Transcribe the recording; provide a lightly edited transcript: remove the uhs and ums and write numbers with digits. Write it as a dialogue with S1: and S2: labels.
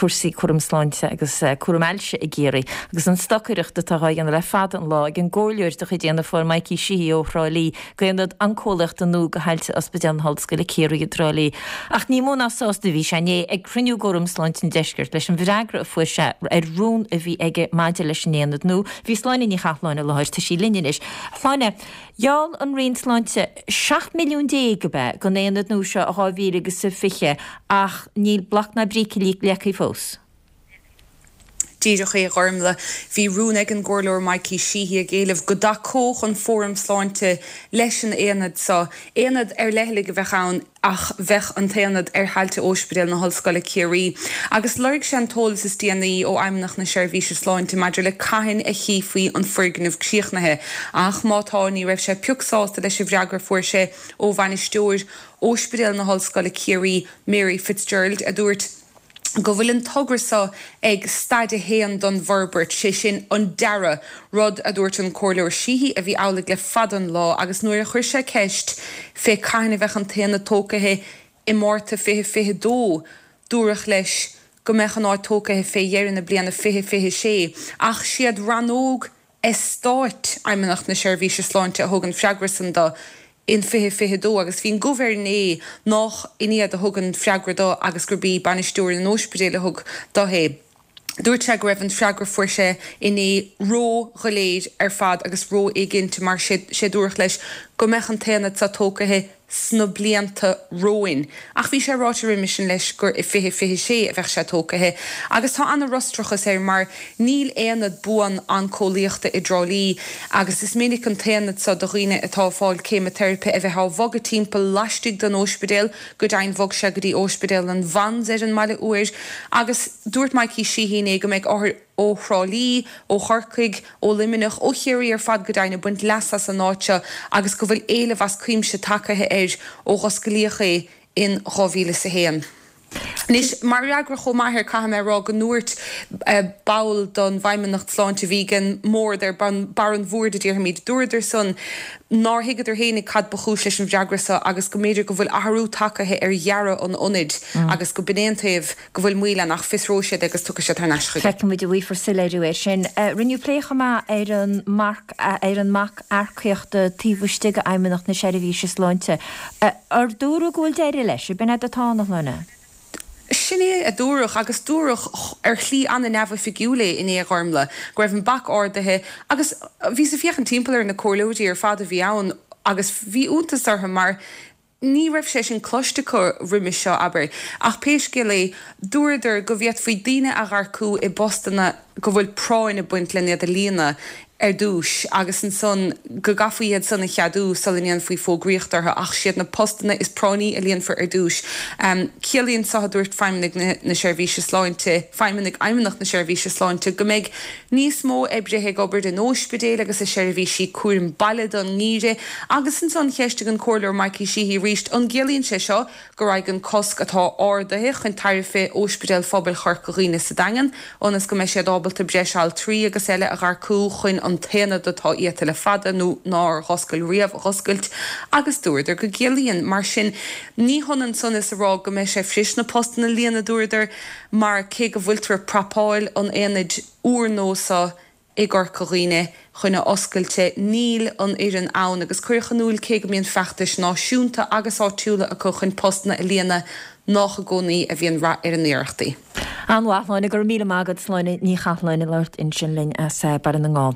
S1: cúrsaí cúram sláinte agus cúram ailse i gCiarraí agus an stocaireacht atá dhá dhéanamh le fada an lá ag an gcomhairleoir de chuid Fhianna Fáil Mikey Sheehy ó Thrá Lí d'Aonad Oncólaíochta nua do thailte Ospidéal na hOllscoile Ciarraí i dTrá Lí. Ach ní mó ná sásta a bhí sé inné ag cruinniú d'Fhóram Sláinte an Deiscirt leis an bhfreagra a fuair sé ar rún a bhí aige maidir leis an aonad nua. Bhí Sláine Ní Chathalláin i láthair, tá sí linn anois. A Shláine, gheall an Roinn Sláinte 17 milliún ab ea don aonad nua seo i 2020 ach níl bloc ná bríce leagtha fós.
S2: Díreach é, a Ghormlaith. Bhí rún ag an gComhairleoir Mikey Sheehy ag éileamh go dtacódh an Fóram Sláinte leis an aonad seo. Aonad ar leithligh a bheadh ann ach bheadh an t-aonad ar thailte Óispidéal na hOllscoile Ciarraí. Agus lorg sé an t-eolas is déanaí ó Fheidhmeannacht na Seirbhíse Sláinte maidir le cathain a chífí an foirgneamh críochnaithe. Ach má tá, ní raibh sé pioc sásta leis an bhfreagra a fuair sé ó bhainisteoir Óispidéal na hOllscoile Ciarraí, Mary Fitzgerald, a dúirt, go bhfuil an togra seo ag staid a haon don bhforbairt, sé sin an dearadh, rud a dúirt an Comhairleoir Sheehy a bhí amhlaidh le fada an lá agus nuair a chuir sé ceist fé cathain a bheadh an t-aonad tógtha i Márta 2022 dúradh leis go mbeadh an áit tógtha fé dheireadh na bliana 2026 ach siad rannóg Eastáit Fheidhmeannacht na Seirbhíse Sláinte a thug an freagra san do in 2022 agus bhí an gomh air inné nách in iad a thug an freagra do agus gurb í bainisteoir an óispidéil a thug do é. Dúirt sé go raibh an freagra fuair sé inné ró-dhoiléir ar fad agus ró-éiginnte mar sé sé dúradh leis go mbeadh an t-aonad so tógtha sna blianta romhainn. Ach bhí sé ráite roimhe sin leis gur i 2026 a bheadh sé tógtha. Agus tá ana-fhrustrachas air mar níl aonad buan oncólaíochta i dTrá Lí agus is minic an t-aonad seo do dhaoine atá ag fáil céimiteiripe a bheith á bhogadh timpeall laistigh den óispidéal, go deimhin bhog sé go dtí Óispidéal an Mhans ar an mbaile uair. Agus dúirt Mikey Sheehy inné go mbeidh othair ó Thrá Lí, ó Chorcaigh, ó Luimneach, ó Chiarraí ar fad go deimhin ag baint leasa as an áit seo agus go bhfuil éileamh as cuimse tagtha air ó dh'osclaíodh é in 2001. Anois, mar fhreagra chomh maith air, caithfidh mé a rá go ndúirt ball don bhFeidhmeannacht Sláinte a bhí ag an mbord, ar barr an bhoird a déarfaimid, dúradar san nár thuigeadar fhéinig cad ba chúis leis an bhfreagra seo agus go mb'fhéidir go bhfuil athrú tagtha ar dhearadh an ionaid agus go b'in é an taobh go bhfuil moill ann ach fiosróidh siad é agus tiocfaidh siad thar n-ais chuige.
S1: Feicfidh muid an bhfaighfear soiléiriú air sin. Rinneadh plé chomh maith ar an marc ar an mbac earcaíochta taobh istigh d'Fheidhmeannacht na Seirbhíse Sláinte. Ar dúradh go bhfuil deireadh leis? Ab in é atá ann, a Shláine?
S2: Sin é a dúradh, agus dúradh ar shlí an-neamhoifigiúil é inné, a Ghormlaith, go raibh an bac ardaithe agus bhíos ag féachaint timpeall ar na comhairleoirí ar fad a bhí ann agus bhí iontas orthu mar Ní raibh sé sin cloiste acu roimis seo, abair. Ach pé scéal é, dúradar go bhféadfaí daoine a dh'earcú i bpostanna go bhfuil práinn ag baint len iad a líonadh ar dtúis agus ansan go gcaithfí iad san a cheadú sula ndéanfaí fógraíocht orthu ach siad na postanna is práinní a líonfar ar dtúis. Ciallaíonn so, a dúirt feidhmeannaigh na Seirbhíse Sláinte, feidhmeannaigh Fheidhmeannacht na Seirbhíse Sláinte, go mbeidh Níos mó oibrithe ag obair in óispidéil agus i seirbhísí cúraim baile don ngeimhreadh agus ansan cheistigh an Comhairleoir Mikey Sheehy arís an gciallaíonn sé seo go raghaidh an cosc atá ardaithe chun tairbhe Óispidéal Phobail Chorca Dhuibhne sa Daingean ionas go mbeidh siad ábalta breis altraí agus eile a dh'earcú chun an t-aonad atá iata le fada nó nár dh'oscail riamh a dh'oscailt agus dúradar go gciallaíonn. Mar sin ní hionann san is a rá go mbeidh sé fuirist na postanna a líonadh dúradar. mar cé go bhfuiltear ag prapáil an aonaid úrnua seo i gCorca Dhuibhne chun a oscailte, níl an fhoireann ann agus cuireadh in iúl cé go mbíonn feachtais náisiúnta agus áitiúla acu chun postanna a líonadh, nách i gcónaí a bhíonn rath ar a n-iarrachtaí.
S1: An-mhaith, Sláine, go raibh míle maith agat, Sláine Ní Chathalláin ag labhairt ansin linn as Baile na nGall.